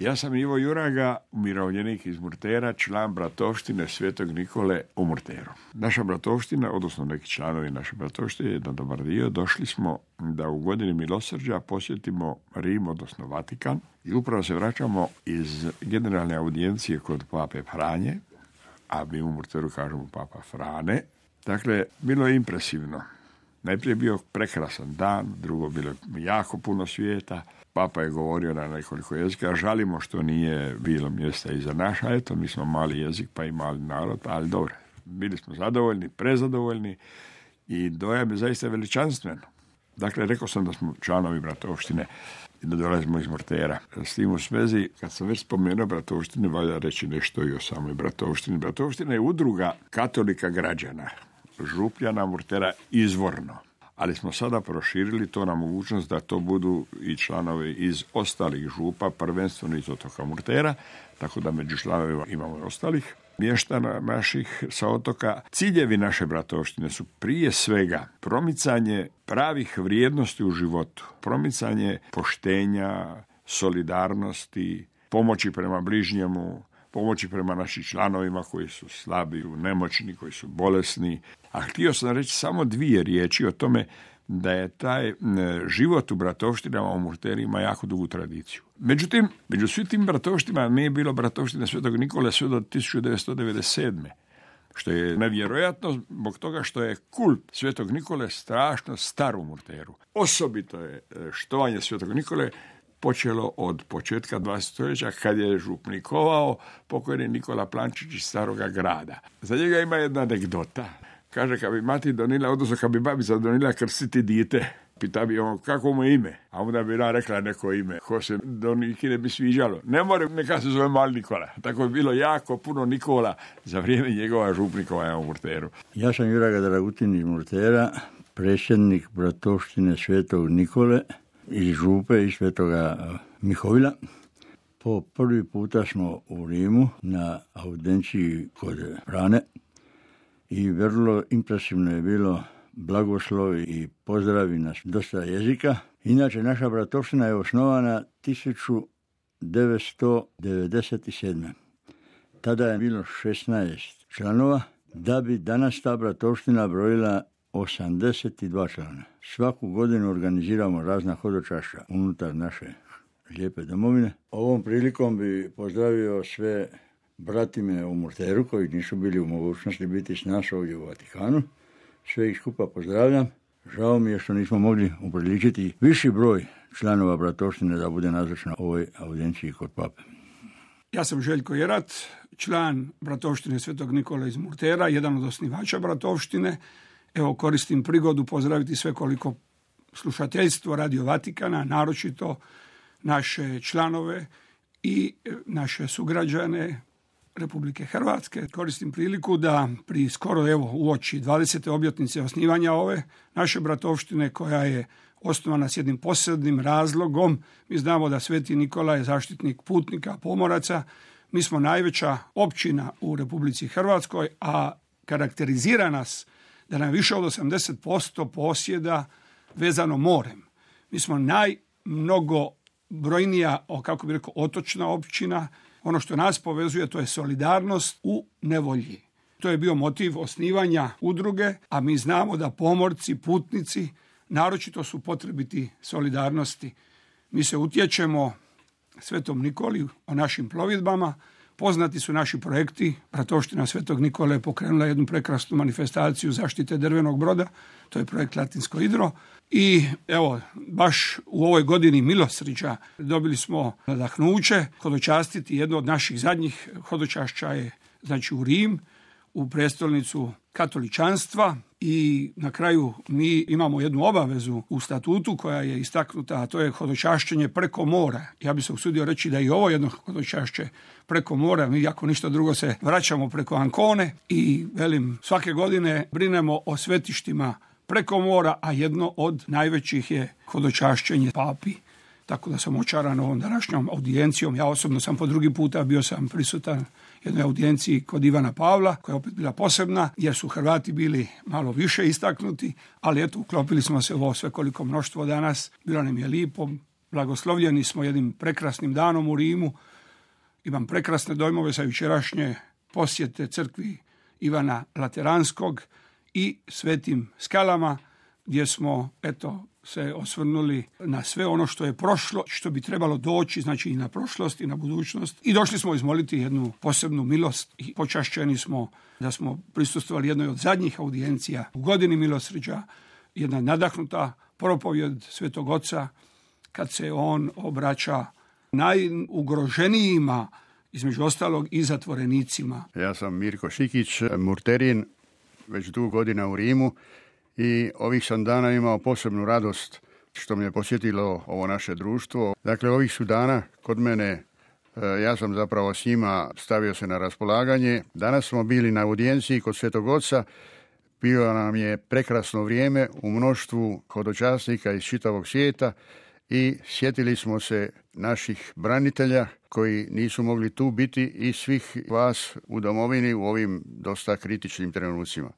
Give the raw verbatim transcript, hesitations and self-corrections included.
Ja sam Ivo Juraga, umirovljenik iz Murtera, član bratovštine Svetog Nikole u Murteru. Naša bratovština, odnosno neki članovi naše bratovštine, jedan dobar dio, došli smo da u godini milosrđa posjetimo Rim, odnosno Vatikan, i upravo se vraćamo iz generalne audijencije kod pape Franje, a mi u Murteru kažemo papa Frane. Dakle, bilo je impresivno. Najprije je bio prekrasan dan, drugo bilo jako puno svijeta. Papa je govorio na nekoliko jezika, žalimo što nije bilo mjesta i za naš, a eto, mi smo mali jezik pa i mali narod, ali dobro. Bili smo zadovoljni, prezadovoljni i dojam je zaista veličanstveno. Dakle, rekao sam da smo članovi bratovštine i da dolazimo iz Murtera. S tim u svezi, kad sam već spomenuo bratovštine, valja reći nešto i o samoj bratovštini. Bratovština je udruga katolika građana, Župljana Murtera izvorno. Ali smo sada proširili to na mogućnost da to budu i članovi iz ostalih župa, prvenstveno iz otoka Murtera, tako da među članovima imamo i ostalih mještana naših sa otoka. Ciljevi naše bratovštine su prije svega promicanje pravih vrijednosti u životu, promicanje poštenja, solidarnosti, pomoći prema bližnjemu, pomoći prema našim članovima koji su slabi, nemoćni, koji su bolesni. A htio sam reći samo dvije riječi o tome da je taj život u bratovštinama u Murterima jako dugu tradiciju. Međutim, među svim tim bratovštinama nije bilo bratovštine Svetog Nikole sve do tisuću devetsto devedeset sedme. Što je nevjerojatno zbog toga što je kult Svetog Nikole strašno star u Murteru. Osobito je štovanje Svetog Nikole počelo od početka dvadesetog stoljeća kad je župnikovao pokojni Nikola Plančić iz Staroga grada. Za njega ima jedna anegdota. Kaže, kad bi mati donila, odnosno kad bi babica donila krstiti dijete, pita bi on kako mu ime, a onda bi ona rekla neko ime, ko se do Niki ne bi sviđalo. Ne more, neka se zove Mali Nikola. Tako je bilo jako puno Nikola za vrijeme njegova župnikovanja u Murteru. Ja sam Juraga Dragutin iz Murtera, predsjednik bratovštine Svetog Nikole iz župe i Svetoga Mihovila. Po prvi puta smo u Rimu na audenciji kod Frane i vrlo impresivno je bilo blagoslovi i pozdravi na dosta jezika. Inače, naša bratovština je osnovana tisuću devetsto devedeset sedme. Tada je bilo šesnaest članova, da bi danas ta bratovština brojila osamdeset dva člana. Svaku godinu organiziramo razna hodočašća unutar naše lijepe domovine. Ovom prilikom bi pozdravio sve bratime u Murteru koji nisu bili u mogućnosti biti s nas ovdje u Vatikanu. Sve ih skupa pozdravljam. Žao mi je što nismo mogli upriličiti viši broj članova bratovštine da bude nazočna ovoj audenciji kod pape. Ja sam Željko Jerat, član bratovštine Svetog Nikole iz Murtera, jedan od osnivača bratovštine. Evo, koristim prigodu pozdraviti sve koliko slušateljstvo Radio Vatikana, naročito naše članove i naše sugrađane Republike Hrvatske. Koristim priliku da pri skoro evo uoči dvadesete obljetnice osnivanja ove naše bratovštine, koja je osnovana s jednim posebnim razlogom. Mi znamo da Sveti Nikola je zaštitnik putnika, pomoraca. Mi smo najveća općina u Republici Hrvatskoj, a karakterizira nas da nam više od osamdeset posto posjeda vezano morem. Mi smo najmnogobrojnija, kako bi rekao, otočna općina. Ono što nas povezuje, to je solidarnost u nevolji. To je bio motiv osnivanja udruge, a mi znamo da pomorci, putnici, naročito su potrebiti solidarnosti. Mi se utječemo Svetom Nikoli o našim plovidbama. Poznati su naši projekti. Bratovština Svetog Nikole je pokrenula jednu prekrasnu manifestaciju zaštite drvenog broda. To je projekt Latinsko Idro. I evo, baš u ovoj godini milosrđa dobili smo nadahnuće hodočastiti. Jedno od naših zadnjih hodočašća je znači u Rim, u prestolnicu katoličanstva, i na kraju mi imamo jednu obavezu u statutu koja je istaknuta, a to je hodočašćenje preko mora. Ja bih se usudio reći da i ovo jedno hodočašće preko mora, mi ako ništa drugo se vraćamo preko Ancone i velim, svake godine brinemo o svetištima preko mora, a jedno od najvećih je hodočašćenje papi. Tako da sam očaran ovom današnjom audijencijom. Ja osobno sam po drugi puta bio sam prisutan jednoj audijenciji kod Ivana Pavla, koja je opet bila posebna, jer su Hrvati bili malo više istaknuti, ali eto, uklopili smo se u ovo svekoliko mnoštvo danas. Bilo nam je lipo, blagoslovljeni smo jednim prekrasnim danom u Rimu, Imam prekrasne dojmove sa jučerašnje posjete crkvi Ivana Lateranskog i Svetim Skalama, gdje smo eto se osvrnuli na sve ono što je prošlo, što bi trebalo doći, znači i na prošlost i na budućnost. I došli smo izmoliti jednu posebnu milost i počašćeni smo da smo prisustvovali jednoj od zadnjih audijencija u godini milosrđa, jedna nadahnuta propovjed Svetog Oca kad se on obraća najugroženijima, između ostalog i zatvorenicima. Ja sam Mirko Šikić, murterin, već dugo godina u Rimu i ovih sam dana imao posebnu radost što me je posjetilo ovo naše društvo. Dakle, ovih su dana kod mene, ja sam zapravo s njima stavio se na raspolaganje. Danas smo bili na audijenciji kod Svetog Oca. Bilo nam je prekrasno vrijeme u mnoštvu hodočasnika iz čitavog svijeta i sjetili smo se naših branitelja koji nisu mogli tu biti i svih vas u domovini u ovim dosta kritičnim trenucima.